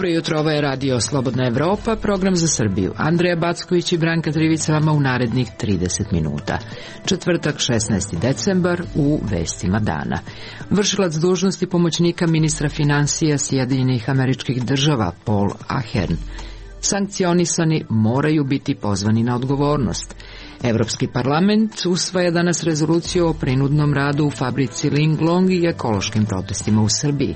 Dobro jutro, ovo je Radio Slobodna Evropa, program za Srbiju. Andreja Backović i Branka Trivica vama u narednih 30 minuta. Četvrtak, 16. decembar, u vestima dana. Vršilac dužnosti pomoćnika ministra finansija Sjedinjenih Američkih Država, Paul Ahern. Sankcionisani moraju biti pozvani na odgovornost. Evropski parlament usvaja danas rezoluciju o prinudnom radu u fabrici Linglong i ekološkim protestima u Srbiji.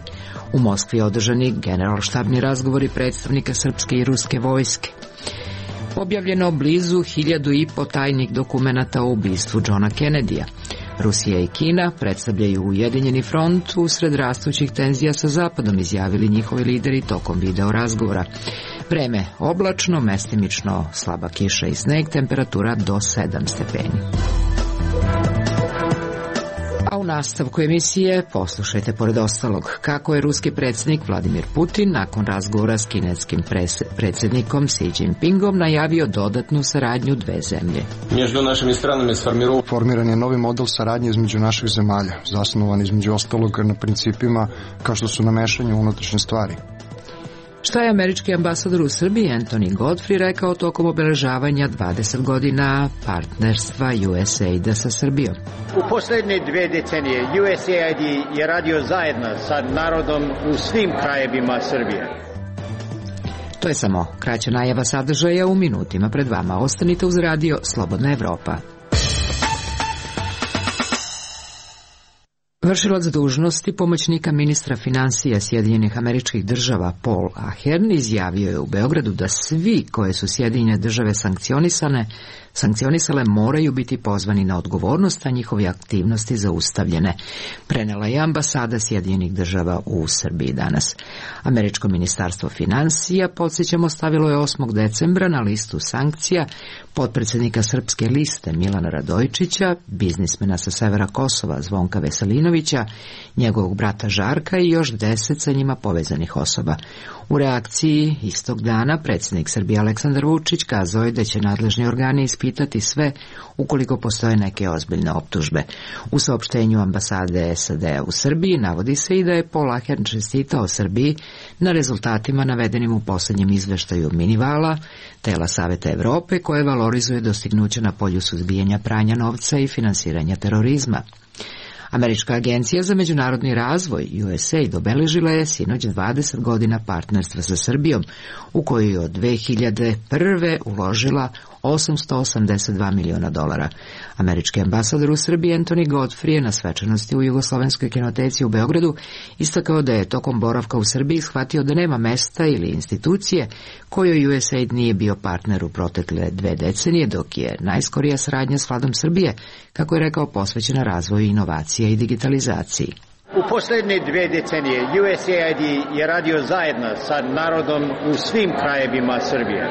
U Moskvi održani generalštabni razgovori predstavnika srpske i ruske vojske. Objavljeno blizu 1500 tajnih dokumenata o ubistvu Johna Kennedyja. Rusija i Kina predstavljaju ujedinjeni front usred rastućih tenzija sa Zapadom, izjavili njihovi lideri tokom video razgovora. Vreme oblačno, mestimično slaba kiša i sneg, temperatura do 7 stepeni. A u nastavku emisije poslušajte pored ostalog kako je ruski predsjednik Vladimir Putin nakon razgovora s kineskim predsjednikom Xi Jinpingom najavio dodatnu saradnju dve zemlje. Formiran je novi model saradnje između naših zemalja, zasnovan između ostalog na principima kao što su namešanje u unutrašnje stvari. Šta je američki ambasador u Srbiji Anthony Godfrey rekao tokom obeležavanja 20 godina partnerstva USAID-a sa Srbijom? U posljednje 2 decenije USAID je radio zajedno sa narodom u svim krajevima Srbije. To je samo kraća najava sadržaja u minutima pred vama. Ostanite uz Radio Slobodna Evropa. Vršilac dužnosti pomoćnika ministra finansija Sjedinjenih Američkih Država Paul Ahern izjavio je u Beogradu da svi koje su Sjedinjene Države sankcionisale moraju biti pozvani na odgovornost, a njihove aktivnosti zaustavljene. Prenela je ambasada Sjedinjenih Država u Srbiji danas. Američko ministarstvo finansija, podsjećamo, stavilo je 8. decembra na listu sankcija potpredsjednika Srpske liste Milana Radojičića, biznismena sa severa Kosova Zvonka Veselinovića, njegovog brata Žarka i još 10 sa njima povezanih osoba. U reakciji istog dana predsjednik Srbije Aleksandar Vučić kazao je da će nadležni organi ispitati sve ukoliko postoje neke ozbiljne optužbe. U saopštenju ambasade SAD-a u Srbiji navodi se i da je Paul Ahern čestitao Srbiji na rezultatima navedenim u posljednjem izveštaju Minivala, tela Saveta Evrope, koje valorizuje dostignuće na polju suzbijanja pranja novca i finansiranja terorizma. Američka agencija za međunarodni razvoj USAID obeležila je sinoć 20 godina partnerstva sa Srbijom, u koju je od 2001. uložila $882 miliona. Američki ambasador u Srbiji Anthony Godfrey je na svečanosti u Jugoslovenskoj kinoteci u Beogradu istakao da je tokom boravka u Srbiji shvatio da nema mesta ili institucije kojoj USAID nije bio partner u protekle 2 decenije, dok je najskorija saradnja s Vladom Srbije, kako je rekao, posvećena razvoju inovacija i digitalizaciji. U posljednje 2 decenije USAID je radio zajedno sa narodom u svim krajevima Srbije.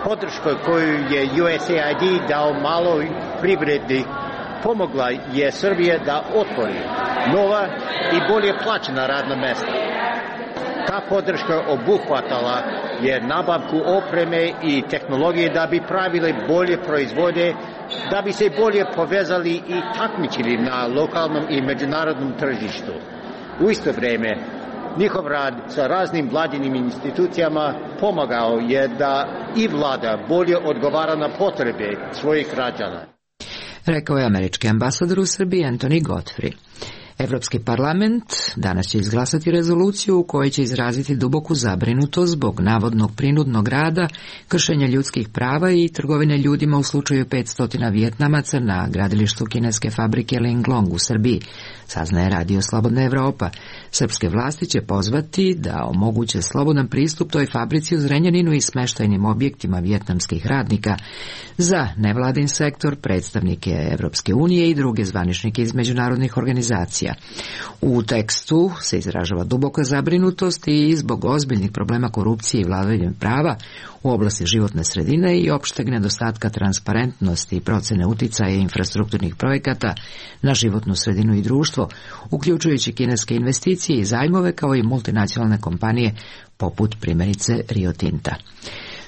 Podrška koju je USAID dao maloj privredi pomogla je Srbije da otvori nova i bolje plaćena radna mesta. Ta podrška obuhvatala je nabavku opreme i tehnologije da bi pravili bolje proizvode, da bi se bolje povezali i takmičili na lokalnom i međunarodnom tržištu. U isto vrijeme njihov rad sa raznim vladinim institucijama pomagao je da i vlada bolje odgovara na potrebe svojih građana. Rekao je američki ambasador u Srbiji Anthony Godfrey. Evropski parlament danas će izglasati rezoluciju u kojoj će izraziti duboku zabrinutost zbog navodnog prinudnog rada, kršenja ljudskih prava i trgovine ljudima u slučaju 500 Vijetnamaca na gradilištu kineske fabrike Linglong u Srbiji, saznaje Radio Slobodna Evropa. Srpske vlasti će pozvati da omoguće slobodan pristup toj fabrici u Zrenjaninu i smeštajnim objektima vijetnamskih radnika za nevladin sektor, predstavnike Evropske unije i druge zvaničnike iz međunarodnih organizacija. U tekstu se izražava duboka zabrinutost i zbog ozbiljnih problema korupcije i vladavine prava u oblasti životne sredine i opšteg nedostatka transparentnosti i procene uticaja infrastrukturnih projekata na životnu sredinu i društvo, uključujući kineske investicije i zajmove kao i multinacionalne kompanije poput primjerice Rio Tinta.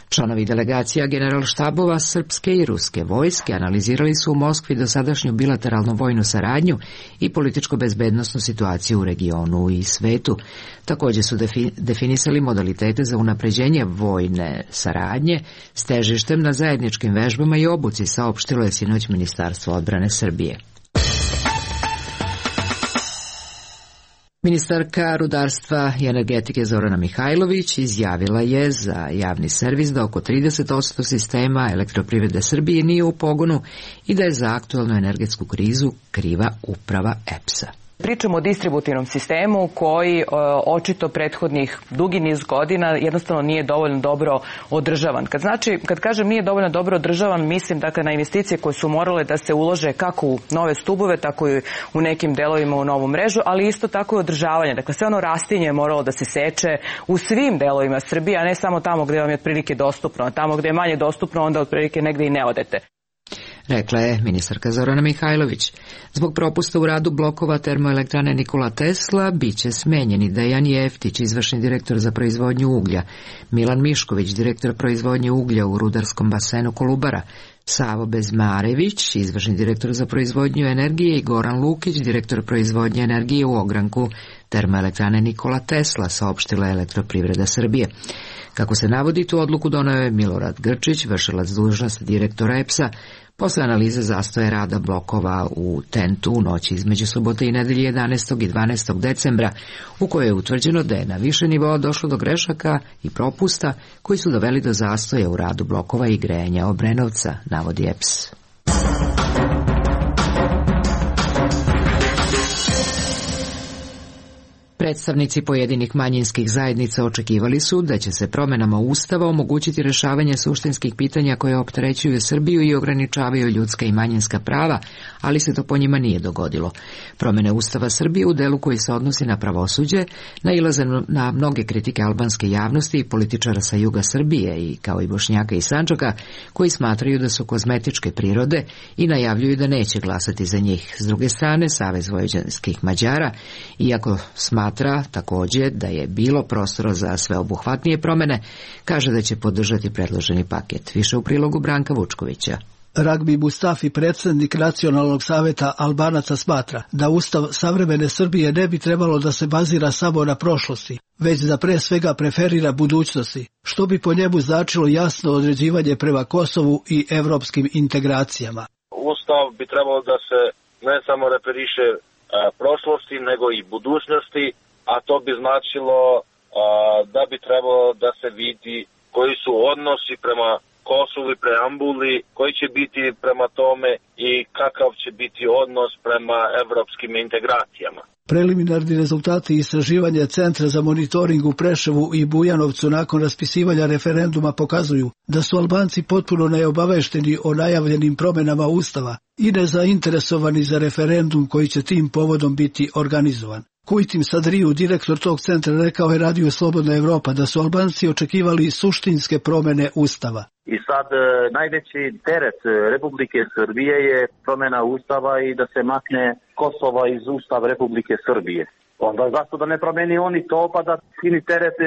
Članovi delegacija generalštabova srpske i ruske vojske analizirali su u Moskvi dosadašnju bilateralnu vojnu saradnju i političko-bezbednosnu situaciju u regionu i svetu. Također su definisali modalitete za unapređenje vojne saradnje s težištem na zajedničkim vežbama i obuci, saopštilo je sinoć Ministarstvo odbrane Srbije. Ministarka rudarstva i energetike Zorana Mihajlović izjavila je za javni servis da oko 30% sistema Elektroprivrede Srbije nije u pogonu i da je za aktualnu energetsku krizu kriva uprava EPS-a. Pričamo o distributivnom sistemu koji očito prethodnih dugi niz godina jednostavno nije dovoljno dobro održavan. Kad kažem nije dovoljno dobro održavan, mislim dakle na investicije koje su morale da se ulože kako u nove stubove, tako i u nekim delovima u novu mrežu, ali isto tako i održavanje. Dakle, sve ono rastinje je moralo da se seče u svim delovima Srbije, a ne samo tamo gde vam je otprilike dostupno, a tamo gde je manje dostupno, onda otprilike negde i ne odete. Rekla je ministarka Zorana Mihajlović. Zbog propusta u radu blokova termoelektrane Nikola Tesla biće smenjeni Dejan Jeftić, izvršni direktor za proizvodnju uglja, Milan Mišković, direktor proizvodnje uglja u rudarskom basenu Kolubara, Savo Bezmarević, izvršni direktor za proizvodnju energije i Goran Lukić, direktor proizvodnje energije u ogranku termoelektrane Nikola Tesla, saopštila je Elektroprivreda Srbije. Kako se navodi, tu odluku doneo je Milorad Grčić, vršilac dužnosti direktora EPS-a, posle analize zastoja rada blokova u TENT-u u noći između subote i nedelje 11. i 12. decembra, u kojoj je utvrđeno da je na više nivoa došlo do grešaka i propusta koji su doveli do zastoja u radu blokova i grejanja Obrenovca, navodi EPS. Predstavnici pojedinih manjinskih zajednica očekivali su da će se promjenama Ustava omogućiti rješavanje suštinskih pitanja koje opterećuju Srbiju i ograničavaju ljudska i manjinska prava, ali se to po njima nije dogodilo. Promjene Ustava Srbije u delu koji se odnosi na pravosuđe nailaze na mnoge kritike albanske javnosti i političara sa juga Srbije, i kao i Bošnjaka i Sandžaka, koji smatraju da su kozmetičke prirode i najavljuju da neće glasati za njih. S druge strane, Savez vojvođanskih Mađara, iako smatra također da je bilo prostora za sveobuhvatnije promjene, kaže da će podržati predloženi paket. Više u prilogu Branka Vučkovića. Ragbi Mustafi, predsjednik Nacionalnog saveta Albanaca, smatra da Ustav savremene Srbije ne bi trebalo da se bazira samo na prošlosti, već da pre svega preferira budućnosti, što bi po njemu značilo jasno određivanje prema Kosovu i evropskim integracijama. Ustav bi trebalo da se ne samo referiše prošlosti, nego i budućnosti, a to bi značilo da bi trebalo da se vidi koji su odnosi prema Kosovu i preambuli, koji će biti prema tome i kakav će biti odnos prema evropskim integracijama. Preliminarni rezultati istraživanja Centra za monitoring u Preševu i Bujanovcu nakon raspisivanja referenduma pokazuju da su Albanci potpuno neobavešteni o najavljenim promjenama Ustava i nezainteresovani za referendum koji će tim povodom biti organizovan. Kujtim Sadriju, direktor tog centra, rekao je Radio Slobodna Evropa da su Albanci očekivali suštinske promjene Ustava. I sad najveći teret Republike Srbije je promjena Ustava i da se makne Kosova iz Ustava Republike Srbije. Onda zašto da ne promeni oni to, pa da skini teret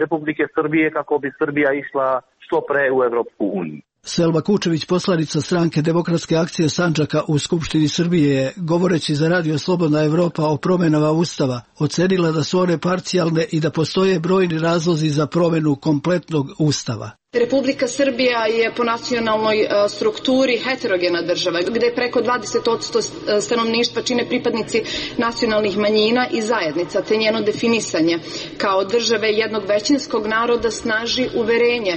Republike Srbije kako bi Srbija išla što pre u Evropsku uniju. Selma Kučević, poslanica stranke Demokratske akcije Sandžaka u Skupštini Srbije, govoreći za Radio Slobodna Evropa o promjenama Ustava, ocenila da su one parcijalne i da postoje brojni razlozi za promjenu kompletnog Ustava. Republika Srbija je po nacionalnoj strukturi heterogena država, gde preko 20% stanovništva čine pripadnici nacionalnih manjina i zajednica, te njeno definisanje kao države jednog većinskog naroda snaži uverenje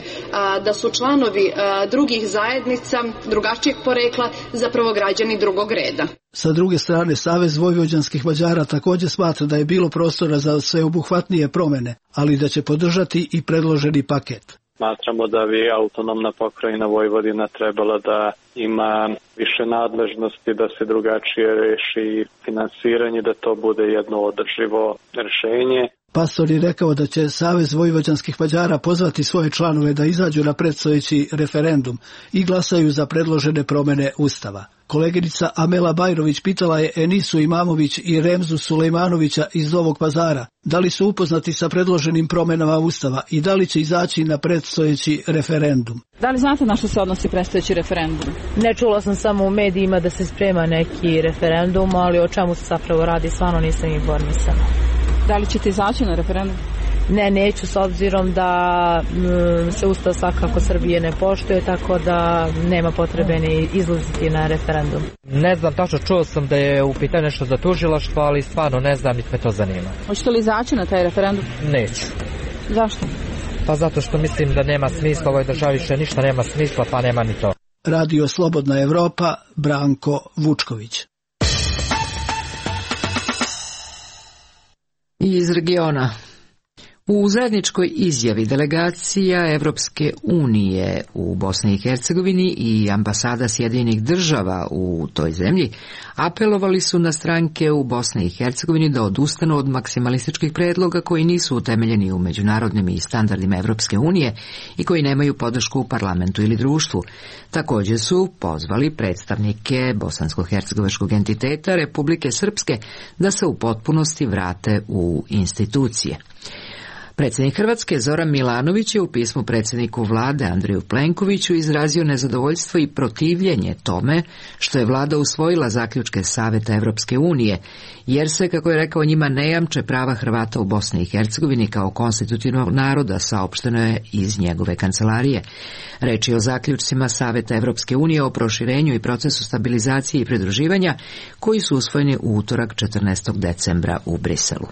da su članovi drugih zajednica drugačijeg porekla zapravo građani drugog reda. Sa druge strane, Savez vojvođanskih Mađara također smatra da je bilo prostora za sveobuhvatnije promjene, ali da će podržati i predloženi paket. Smatramo da bi autonomna pokrajina Vojvodina trebala da ima više nadležnosti, da se drugačije reši finansiranje, da to bude jedno održivo rješenje. Pastor je rekao da će Savez vojvođanskih Mađara pozvati svoje članove da izađu na predstojeći referendum i glasaju za predložene promjene Ustava. Koleginica Amela Bajrović pitala je Enisu Imamović i Remzu Sulejmanovića iz Novog Pazara da li su upoznati sa predloženim promjenama Ustava i da li će izaći na predstojeći referendum. Da li znate na što se odnosi predstojeći referendum? Ne, čula sam samo u medijima da se sprema neki referendum, ali o čemu se zapravo radi, stvarno nisam informisana. Da li ćete izaći na referendum? Ne, neću, s obzirom da se Ustav svakako Srbije ne poštuje, tako da nema potrebe ni izlaziti na referendum. Ne znam, tačno čuo sam da je u pitanju nešto za tužilaštvo, ali stvarno ne znam, niti me to zanima. Hoćete li izaći na taj referendum? Neću. Zašto? Pa zato što mislim da nema smisla, u ovoj državi više ništa nema smisla, pa nema ni to. Radio Slobodna Evropa, Branko Vučković. Iz regiona. U zajedničkoj izjavi delegacija Evropske unije u Bosni i Hercegovini i ambasada Sjedinjenih država u toj zemlji apelovali su na stranke u Bosni i Hercegovini da odustanu od maksimalističkih predloga koji nisu utemeljeni u međunarodnim i standardima Evropske unije i koji nemaju podršku u parlamentu ili društvu. Također su pozvali predstavnike bosansko-hercegovačkog entiteta Republike Srpske da se u potpunosti vrate u institucije. Predsjednik Hrvatske Zoran Milanović je u pismu predsjedniku vlade Andreju Plenkoviću izrazio nezadovoljstvo i protivljenje tome što je vlada usvojila zaključke Saveta Evropske unije, jer se, kako je rekao, njima ne jamče prava Hrvata u Bosni i Hercegovini kao konstitutivnog naroda, saopšteno je iz njegove kancelarije. Reč je o zaključcima Saveta Evropske unije o proširenju i procesu stabilizacije i pridruživanja koji su usvojeni u utorak 14. decembra u Briselu.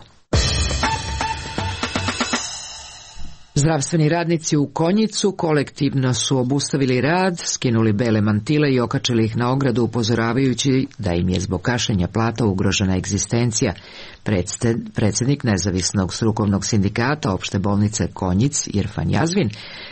Zdravstveni radnici u Konjicu kolektivno su obustavili rad, skinuli bele mantile i okačili ih na ogradu upozoravajući da im je zbog kašenja plata ugrožena egzistencija. Predsjednik nezavisnog strukovnog sindikata opšte bolnice Konjic, Irfan Jazvin,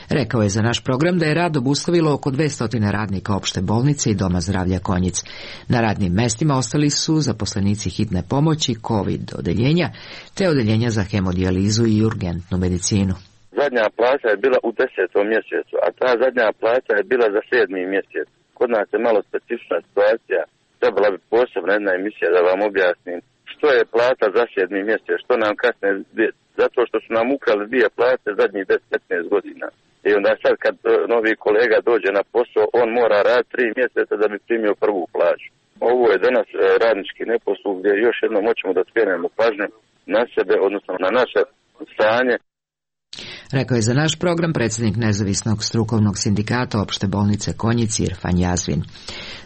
rekao je za naš program da je rad obustavilo oko 200 radnika opšte bolnice i Doma zdravlja Konjic. Na radnim mestima ostali su zaposlenici hitne pomoći, COVID odeljenja, te odeljenja za hemodijalizu i urgentnu medicinu. Zadnja plaća je bila u 10. mjesecu, a ta zadnja plaća je bila za 7. mjesec. Kod nas je malo specifična situacija. Trebala bi posebna jedna emisija da vam objasnim što je plata za 7. mjesec, što nam kasne, zato što su nam ukrali 2 plate zadnjih 10-15 godina. I onda sad kad novi kolega dođe na posao, on mora raditi 3 mjeseca da bi primio prvu plaću. Ovo je danas radnički neposluh gdje još jednom hoćemo da skrenemo pažnju na sebe, odnosno na naše stanje. Rekao je za naš program predsjednik nezavisnog strukovnog sindikata opšte bolnice Konjic Irfan Jazvin.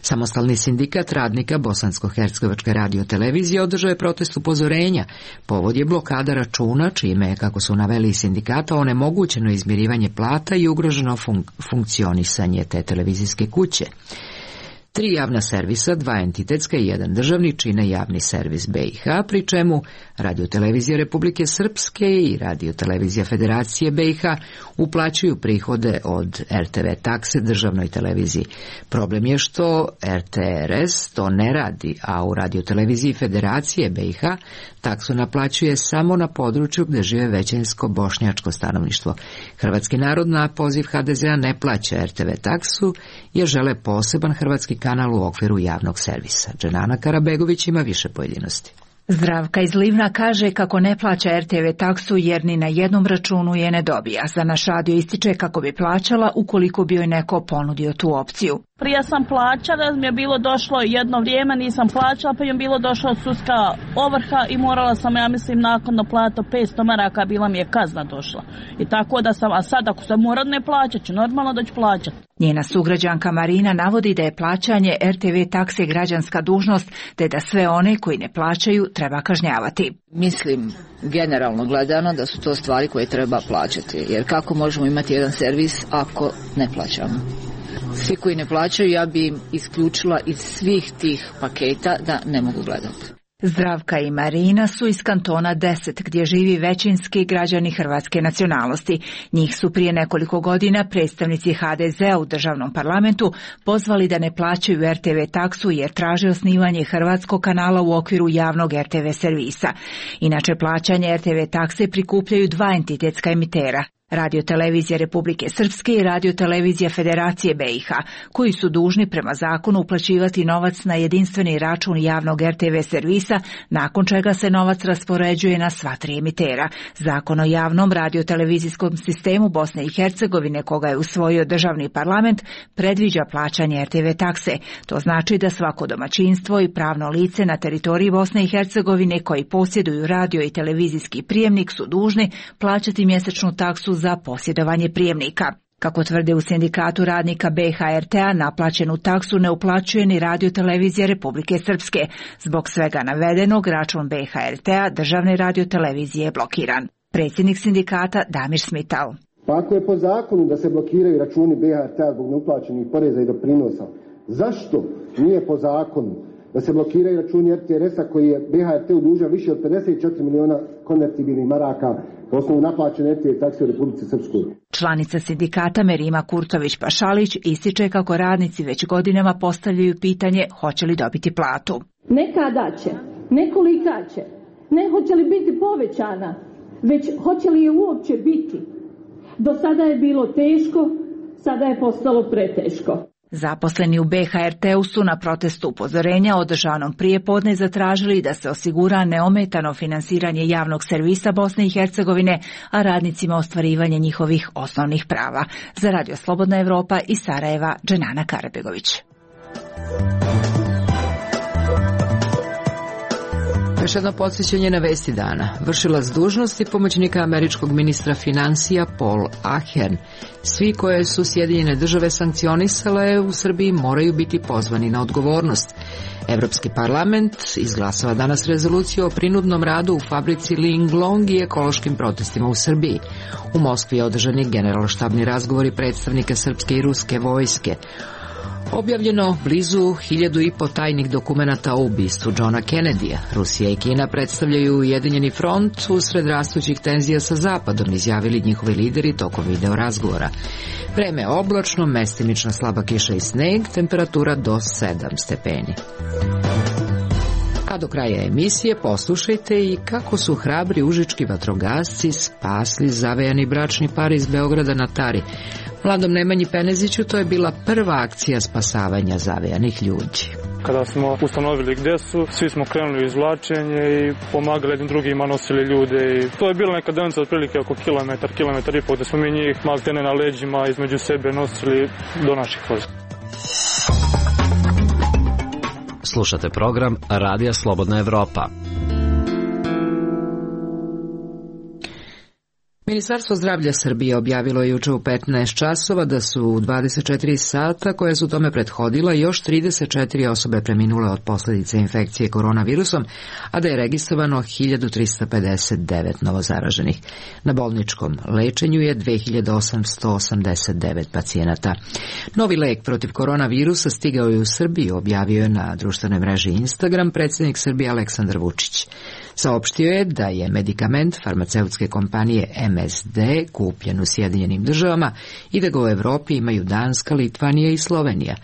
Samostalni sindikat radnika Bosansko-hercegovačke radiotelevizije održao je protest upozorenja. Povod je blokada računa, čime je, kako su naveli sindikata, onemogućeno izmirivanje plata i ugroženo funkcionisanje te televizijske kuće. 3 javna servisa, 2 entitetska i 1 državni čine javni servis BiH, pri čemu Radiotelevizija Republike Srpske i Radiotelevizija Federacije BiH uplaćuju prihode od RTV takse državnoj televiziji. Problem je što RTRS to ne radi, a u Radioteleviziji Federacije BiH taksu naplaćuje samo na području gdje žive većinsko bošnjačko stanovništvo. Hrvatski narod na poziv HDZ-a ne plaća RTV taksu jer žele poseban hrvatski kanal u okviru javnog servisa. Dženana Karabegović ima više pojedinosti. Zdravka iz Livna kaže kako ne plaća RTV taksu jer ni na jednom računu je ne dobija. Za naš radio ističe kako bi plaćala ukoliko bi joj neko ponudio tu opciju. Prije sam plaćala, mi je bilo došlo jedno vrijeme, nisam plaćala, pa je bilo došla sudska ovrha i morala sam, ja mislim, nakon plata 500 maraka, bila mi je kazna došla. I tako da sam, a sad ako sam moram ne plaćat ću, normalno da ću plaćati. Njena sugrađanka Marina navodi da je plaćanje RTV takse građanska dužnost, te da sve one koji ne plaćaju treba kažnjavati. Mislim, generalno gledano, da su to stvari koje treba plaćati, jer kako možemo imati jedan servis ako ne plaćamo? Svi koji ne plaćaju, ja bi im isključila iz svih tih paketa da ne mogu gledati. Zdravka i Marina su iz kantona 10, gdje živi većinski građani hrvatske nacionalnosti. Njih su prije nekoliko godina predstavnici HDZ-a u državnom parlamentu pozvali da ne plaćaju RTV taksu jer traže osnivanje hrvatskog kanala u okviru javnog RTV servisa. Inače, plaćanje RTV takse prikupljaju dva entitetska emitera. Radio-televizija Republike Srpske i Radio-televizija Federacije BiH, koji su dužni prema zakonu uplaćivati novac na jedinstveni račun javnog RTV servisa, nakon čega se novac raspoređuje na sva tri emitera. Zakon o javnom radio-televizijskom sistemu Bosne i Hercegovine, koga je usvojio državni parlament, predviđa plaćanje RTV takse. To znači da svako domaćinstvo i pravno lice na teritoriji Bosne i Hercegovine koji posjeduju radio i televizijski prijemnik su dužni plaćati mjesečnu taksu za posjedovanje prijemnika. Kako tvrde u sindikatu radnika BHRT-a, naplaćenu taksu ne uplaćuje ni Radio-televizija Republike Srpske. Zbog svega navedenog, račun BHRT-a državne radio-televizije je blokiran. Predsjednik sindikata Damir Smital. Pa ako je po zakonu da se blokiraju računi BHRT-a zbog neuplaćenih poreza i doprinosa, zašto nije po zakonu da se blokiraju računi RTRS-a koji je BHRT dužan više od 54 miliona konvertibilnih maraka po osnovu naplaćene RTV takse u Republici Srpskoj? Članica sindikata Merima Kurtović-Pašalić ističe kako radnici već godinama postavljaju pitanje hoće li dobiti platu. Ne kada će, ne kolika će, ne hoće li biti povećana, već hoće li je uopće biti. Do sada je bilo teško, sada je postalo preteško. Zaposleni u BHRT-u su na protestu upozorenja održanom prijepodne zatražili da se osigura neometano finansiranje javnog servisa Bosne i Hercegovine, a radnicima ostvarivanje njihovih osnovnih prava. Za Radio Slobodna Evropa iz Sarajeva, Dženana Karabegović. Još jedno podsjećanje na vesti dana. Vršilac dužnosti pomoćnika američkog ministra financija Paul Ahern. Svi koje su Sjedinjene države sankcionisale u Srbiji moraju biti pozvani na odgovornost. Evropski parlament izglasava danas rezoluciju o prinudnom radu u fabrici Linglong i ekološkim protestima u Srbiji. U Moskvi je održani generalštabni razgovori predstavnika srpske i ruske vojske. Objavljeno blizu 1500 tajnih dokumenata o ubistvu Johna Kennedyja. Rusija i Kina predstavljaju ujedinjeni front usred rastućih tenzija sa Zapadom, izjavili njihovi lideri tokom video razgovora. Vreme je oblačno, mestimična slaba kiša i sneg, temperatura do 7 stepeni. A do kraja emisije poslušajte i kako su hrabri užički vatrogasci spasli zavejani bračni par iz Beograda na Tari. Mladom Nemanji Peneziću to je bila prva akcija spasavanja zavejanih ljudi. Kada smo ustanovili gdje su, svi smo krenuli u izvlačenje i pomagali jednim drugima, nosili ljude. I to je bila neka deonica otprilike oko kilometar i pol, da smo mi njih maltene na leđima između sebe nosili do naših vozila. Slušate program Radija Slobodna Evropa. Ministarstvo zdravlja Srbije objavilo je juče u 15 časova da su u 24 sata koje su tome prethodila još 34 osobe preminule od posljedice infekcije koronavirusom, a da je registrovano 1359 novozaraženih. Na bolničkom lečenju je 2889 pacijenata. Novi lek protiv koronavirusa stigao je u Srbiju, objavio je na društvenoj mreži Instagram predsjednik Srbije Aleksandar Vučić. Saopštio je da je medikament farmaceutske kompanije MSD kupljen u Sjedinjenim državama i da ga u Evropi imaju Danska, Litvanija i Slovenija.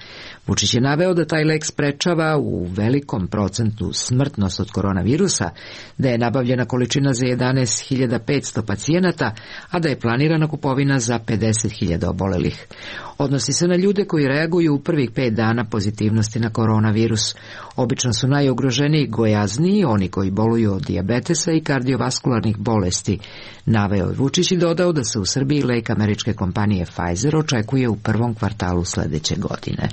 Vučić je naveo da taj lek sprečava u velikom procentu smrtnost od koronavirusa, da je nabavljena količina za 11.500 pacijenata, a da je planirana kupovina za 50.000 obolelih. Odnosi se na ljude koji reaguju u prvih 5 dana pozitivnosti na koronavirus. Obično su najugroženiji gojazniji, oni koji boluju od dijabetesa i kardiovaskularnih bolesti. Naveo je Vučić i dodao da se u Srbiji lek američke kompanije Pfizer očekuje u prvom kvartalu sljedeće godine.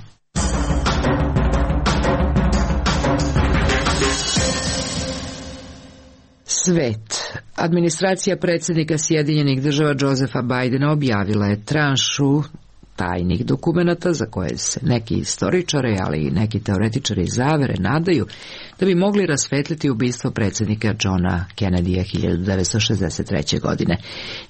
Svet. Administracija predsjednika Sjedinjenih država Josepha Bidena objavila je tranšu tajnih dokumenata za koje se neki istoričari, ali i neki teoretičari zavere nadaju da bi mogli rasvetliti ubistvo predsjednika Johna Kennedya 1963. godine.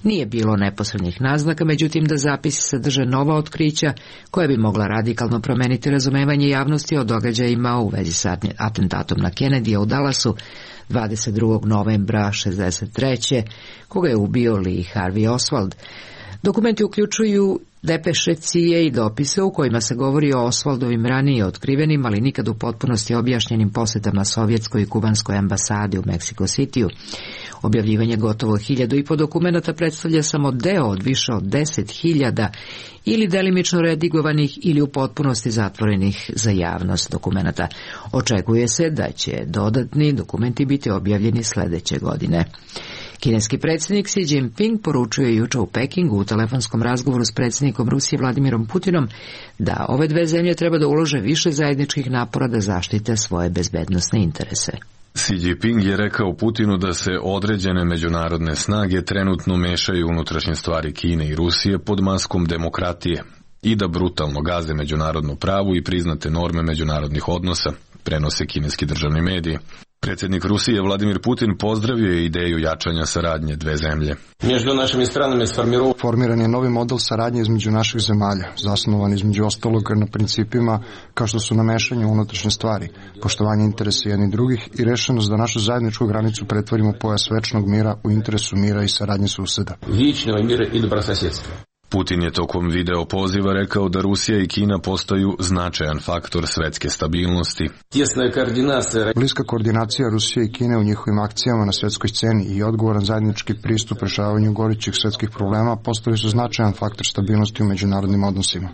Nije bilo neposrednih naznaka, međutim da zapisi sadrže nova otkrića koja bi mogla radikalno promeniti razumevanje javnosti o događajima u vezi sa atentatom na Kennedya u Dallasu 22. novembra 1963. koga je ubio Lee Harvey Oswald. Dokumenti uključuju depeše CIA i dopise u kojima se govori o Oswaldovim ranije otkrivenim, ali nikad u potpunosti objašnjenim posjetama sovjetskoj i kubanskoj ambasadi u Mexico Cityu. Objavljivanje gotovo 1500 dokumenata predstavlja samo deo od više od 10.000 ili delimično redigovanih ili u potpunosti zatvorenih za javnost dokumenata. Očekuje se da će dodatni dokumenti biti objavljeni sledeće godine. Kineski predsjednik Xi Jinping poručio juče u Pekingu u telefonskom razgovoru s predsjednikom Rusije Vladimirom Putinom da ove dve zemlje treba da ulože više zajedničkih napora da zaštite svoje bezbednosne interese. Xi Jinping je rekao Putinu da se određene međunarodne snage trenutno mešaju u unutrašnje stvari Kine i Rusije pod maskom demokratije i da brutalno gaze međunarodno pravo i priznate norme međunarodnih odnosa, prenose kineski državni mediji. Predsjednik Rusije Vladimir Putin pozdravio je ideju jačanja saradnje dve zemlje. Formiran je novi model saradnje između naših zemalja, zasnovan između ostalog na principima kao što su namešanje u unutrašnje stvari, poštovanje interesa jednih drugih i rešenost da našu zajedničku granicu pretvorimo u pojas večnog mira u interesu mira i saradnje suseda. Putin je tokom video poziva rekao da Rusija i Kina postaju značajan faktor svetske stabilnosti. Bliska koordinacija Rusije i Kine u njihovim akcijama na svetskoj sceni i odgovoran zajednički pristup rešavanju gorućih svetskih problema postali su značajan faktor stabilnosti u međunarodnim odnosima.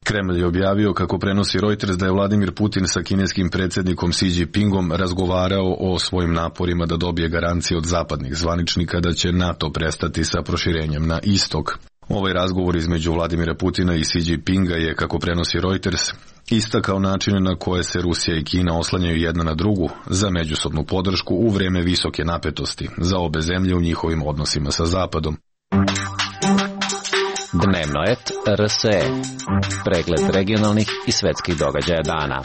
Kremlj je objavio, kako prenosi Reuters, da je Vladimir Putin sa kineskim predsjednikom Xi Jinpingom razgovarao o svojim naporima da dobije garancije od zapadnih zvaničnika da će NATO prestati sa proširenjem na istok. Ovaj razgovor između Vladimira Putina i Xi Jinpinga je, kako prenosi Reuters, istakao načine na koje se Rusija i Kina oslanjaju jedna na drugu za međusobnu podršku u vreme visoke napetosti za obe zemlje u njihovim odnosima sa Zapadom. Dnevno et RSE. Pregled regionalnih i svetskih događaja dana.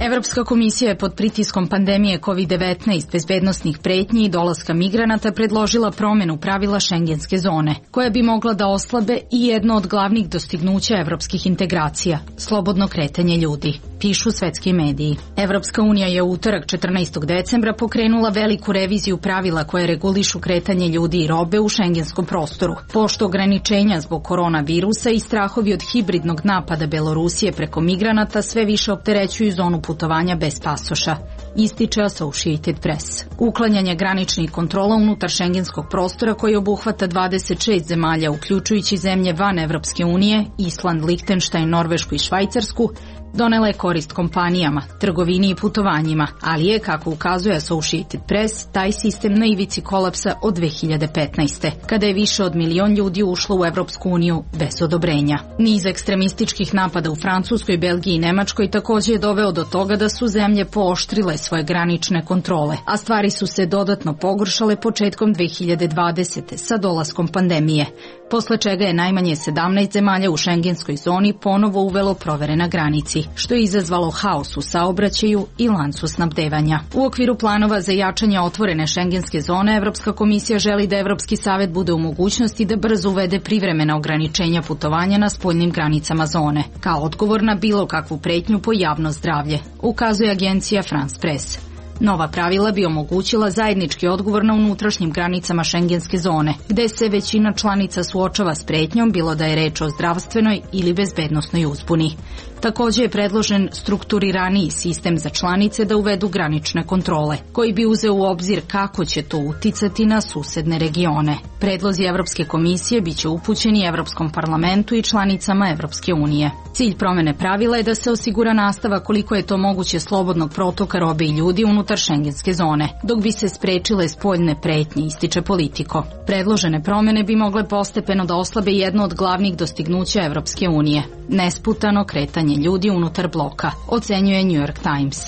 Evropska komisija je pod pritiskom pandemije COVID-19, bezbednosnih pretnji i dolaska migranata predložila promjenu pravila šengenske zone, koja bi mogla da oslabe i jedno od glavnih dostignuća evropskih integracija, slobodno kretanje ljudi, pišu svetski mediji. Evropska unija je u utorak 14. decembra pokrenula veliku reviziju pravila koje regulišu kretanje ljudi i robe u šengenskom prostoru, pošto ograničenja zbog koronavirusa i strahovi od hibridnog napada Belorusije preko migranata sve više opterećuju zonu putovanja bez pasoša, ističe Associated Press. Uklanjanje graničnih kontrola unutar šengenskog prostora koji obuhvata 26 zemalja, uključujući zemlje van Evropske unije, Island, Lihtenštajn, Norvešku i Švajcarsku, donela je korist kompanijama, trgovini i putovanjima, ali je, kako ukazuje Associated Press, taj sistem na ivici kolapsa od 2015. kada je više od 1 milion ljudi ušlo u Evropsku uniju bez odobrenja. Niz ekstremističkih napada u Francuskoj, Belgiji i Nemačkoj također je doveo do toga da su zemlje pooštrile svoje granične kontrole, a stvari su se dodatno pogoršale početkom 2020. sa dolaskom pandemije, posle čega je najmanje 17 zemalja u šengenskoj zoni ponovo uvelo provere na granici, što je izazvalo haos u saobraćaju i lancu snabdevanja. U okviru planova za jačanje otvorene šengenske zone, Evropska komisija želi da Evropski savet bude u mogućnosti da brzo uvede privremena ograničenja putovanja na spoljnim granicama zone, kao odgovor na bilo kakvu pretnju po javno zdravlje, ukazuje agencija France Press. Nova pravila bi omogućila zajednički odgovor na unutrašnjim granicama šengenske zone, gde se većina članica suočava s pretnjom, bilo da je reč o zdravstvenoj ili bezbednosnoj uzbuni. Također je predložen strukturiraniji sistem za članice da uvedu granične kontrole, koji bi uzeo u obzir kako će to uticati na susedne regione. Predlozi Evropske komisije biće upućeni Evropskom parlamentu i članicama Evropske unije. Cilj promjene pravila je da se osigura nastavak koliko je to moguće slobodnog protoka robe i ljudi unutar šengenske zone, dok bi se sprečile spoljne pretnje, ističe Politico. Predložene promjene bi mogle postepeno da oslabe jedno od glavnih dostignuća Evropske unije, nesputano kretanje ljudi unutar bloka, ocenjuje New York Times.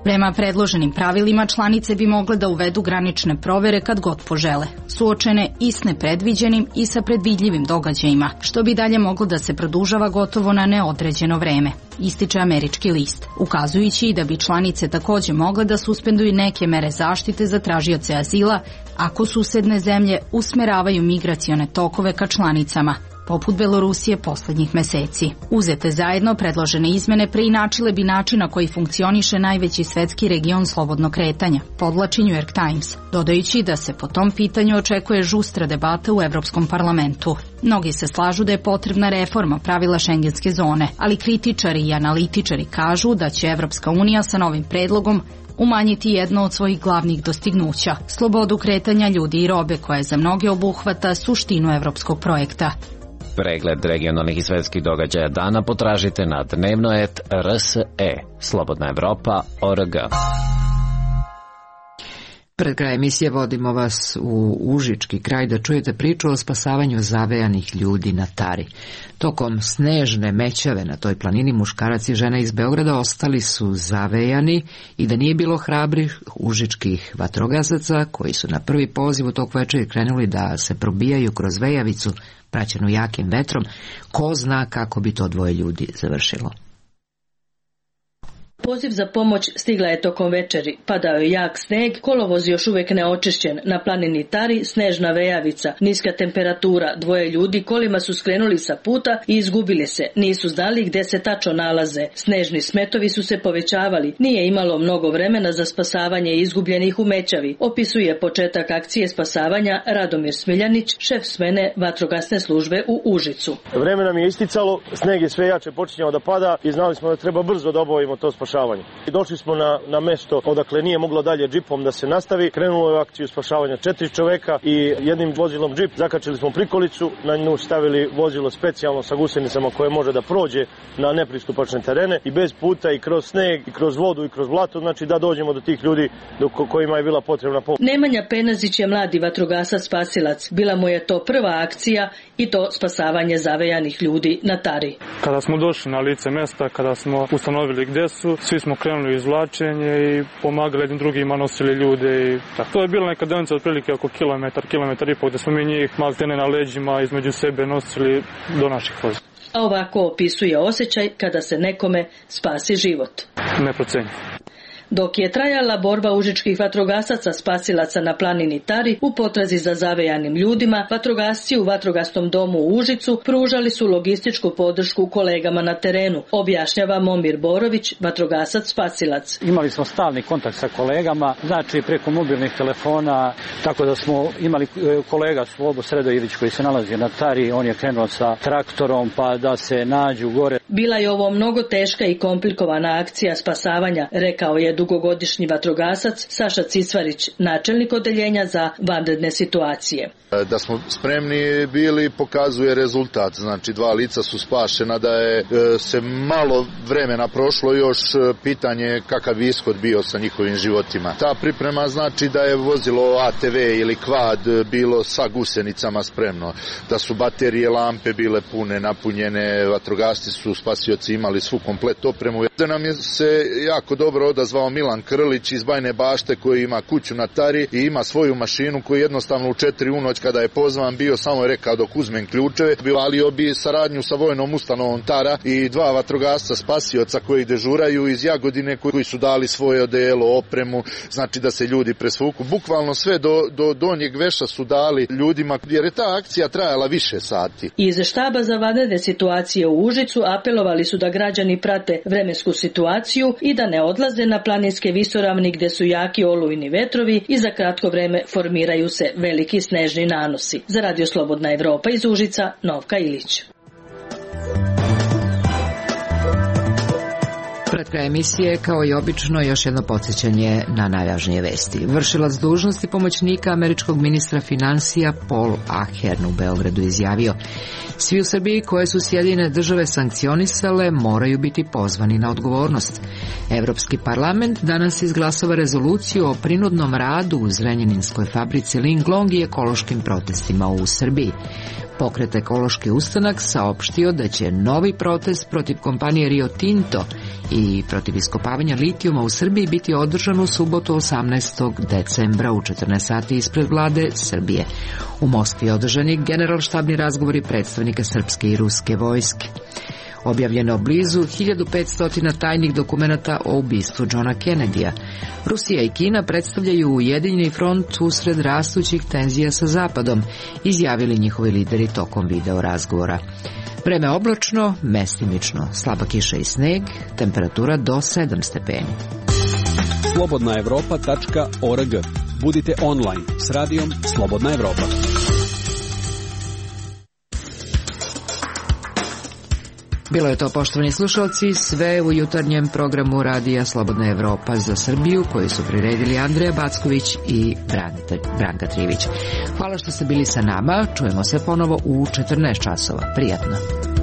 Prema predloženim pravilima, članice bi mogle da uvedu granične provere kad god požele, suočene i s nepredviđenim i sa predvidljivim događajima, što bi dalje moglo da se produžava gotovo na neodređeno vreme, ističe američki list, ukazujući da bi članice takođe mogle da suspenduju neke mere zaštite za tražioce azila ako susedne zemlje usmeravaju migracione tokove ka članicama, poput Belorusije poslednjih meseci. Uzete zajedno, predložene izmene preinačile bi način na koji funkcioniše najveći svetski region slobodnog kretanja, podvlači New York Times, dodajući da se po tom pitanju očekuje žustra debata u Evropskom parlamentu. Mnogi se slažu da je potrebna reforma pravila šengenske zone, ali kritičari i analitičari kažu da će Evropska unija sa novim predlogom umanjiti jedno od svojih glavnih dostignuća, slobodu kretanja ljudi i robe koja za mnoge obuhvata suštinu evropskog projekta. Pregled regionalnih i svetskih događaja dana potražite na dnevno.rs.e, Slobodna Evropa.org. Pred kraj emisije vodimo vas u Užički kraj da čujete priču o spasavanju zavejanih ljudi na Tari. Tokom snežne mećave na toj planini muškarac i žena iz Beograda ostali su zavejani i da nije bilo hrabrih užičkih vatrogasaca koji su na prvi poziv u tog večeri krenuli da se probijaju kroz vejavicu praćenu jakim vetrom, ko zna kako bi to dvoje ljudi završilo. Poziv za pomoć stigla je tokom večeri. Padao je jak sneg, kolovoz još uvek neočišćen. Na planini Tari snežna vejavica, niska temperatura, dvoje ljudi kolima su skrenuli sa puta i izgubili se. Nisu znali gde se tačno nalaze. Snežni smetovi su se povećavali. Nije imalo mnogo vremena za spasavanje izgubljenih u mećavi. Opisuje početak akcije spasavanja Radomir Smiljanić, šef smene vatrogasne službe u Užicu. Vreme nam je isticalo, sneg je sve jače počinjao da pada i znali smo da treba brzo da obavimo to spašavanje. I došli smo na mesto odakle nije moglo dalje džipom da se nastavi. Krenulo je u akciju spašavanja 4 čoveka i jednim vozilom džip zakačili smo prikolicu, na nju stavili vozilo specijalno sa gusenicama koje može da prođe na nepristupačne terene i bez puta i kroz sneg i kroz vodu i kroz blato, znači da dođemo do tih ljudi kojima je bila potrebna pomoć. Nemanja Penazić je mladi vatrogasac spasilac. Bila mu je to prva akcija i to spasavanje zavejanih ljudi na Tari. Kada smo došli na lice mesta, kada smo ustanovili gde su, svi smo krenuli u izvlačenje i pomagali jednim drugima, nosili ljude i tako. To je bila neka deonica otprilike oko kilometar i pol, gde smo mi njih maltene na leđima između sebe nosili do naših voza. A ovako opisuje osjećaj kada se nekome spasi život. Neprocenjivo. Dok je trajala borba užičkih vatrogasaca spasilaca na planini Tari u potrazi za zavejanim ljudima, vatrogasci u vatrogasnom domu u Užicu pružali su logističku podršku kolegama na terenu, objašnjava Momir Borović, vatrogasac spasilac. Imali smo stalni kontakt sa kolegama, znači preko mobilnih telefona, tako da smo imali kolega Slobo Sredojević koji se nalazi na Tari, on je krenuo sa traktorom pa da se nađu gore. Bila je ovo mnogo teška i komplikovana akcija spasavanja, rekao je dugogodišnji vatrogasac Saša Cisvarić, načelnik odeljenja za vanredne situacije. Da smo spremni bili pokazuje rezultat, znači 2 lica su spašena, da je se malo vremena prošlo, još pitanje kakav bi ishod bio sa njihovim životima. Ta priprema znači da je vozilo ATV ili kvad bilo sa gusenicama spremno, da su baterije lampe bile pune, napunjene, vatrogasci su spasioci imali svu komplet opremu. Da nam je se jako dobro odazvao Milan Krlić iz Bajne Bašte koji ima kuću na Tari i ima svoju mašinu koju jednostavno u 4 u noć kada je pozvan bio samo je rekao dok uzmem ključeve, valio bi saradnju sa vojnom ustanovom Tara i 2 vatrogasca spasioca koji dežuraju iz Jagodine koji su dali svoje odelo, opremu, znači da se ljudi presvuku. Bukvalno sve do donjeg veša su dali ljudima jer je ta akcija trajala više sati. Iz štaba za vanredne situacije u Užicu apelovali su da građani prate vremensku situaciju i da ne odlaze na planinske visoravni gde su jaki olujni vetrovi i za kratko vreme formiraju se veliki snežni nanosi. Za Radio Slobodna Evropa iz Užica, Novka Ilić. Pred kraj emisije, kao i obično, još jedno podsjećanje na najvažnije vesti. Vršilac dužnosti pomoćnika američkog ministra finansija Paul Ahern u Beogradu izjavio: svi u Srbiji koje su Sjedinjene države sankcionisale moraju biti pozvani na odgovornost. Evropski parlament danas izglasava rezoluciju o prinudnom radu u Zrenjaninskoj fabrici Linglong i ekološkim protestima u Srbiji. Pokret Ekološki ustanak saopštio da će novi protest protiv kompanije Rio Tinto i protiv iskopavanja litijuma u Srbiji biti održan u subotu 18. decembra u 14 sati ispred vlade Srbije. U Moskvi je održani generalštabni razgovori predstavnika srpske i ruske vojske. Objavljeno blizu 1500 tajnih dokumenata o ubistvu Johna Kennedya. Rusija i Kina predstavljaju ujedinjeni front usred rastućih tenzija sa Zapadom, izjavili njihovi lideri tokom video razgovora. Vreme oblačno, mestimično, slaba kiša i sneg, temperatura do 7 stepeni. slobodnaevropa.org. Budite online s radijom Slobodna Evropa. Bilo je to, poštovani slušalci, sve u jutarnjem programu radija Slobodna Evropa za Srbiju, koji su priredili Andreja Backović i Branka Trivić. Hvala što ste bili sa nama, čujemo se ponovo u 14 časova. Prijatno.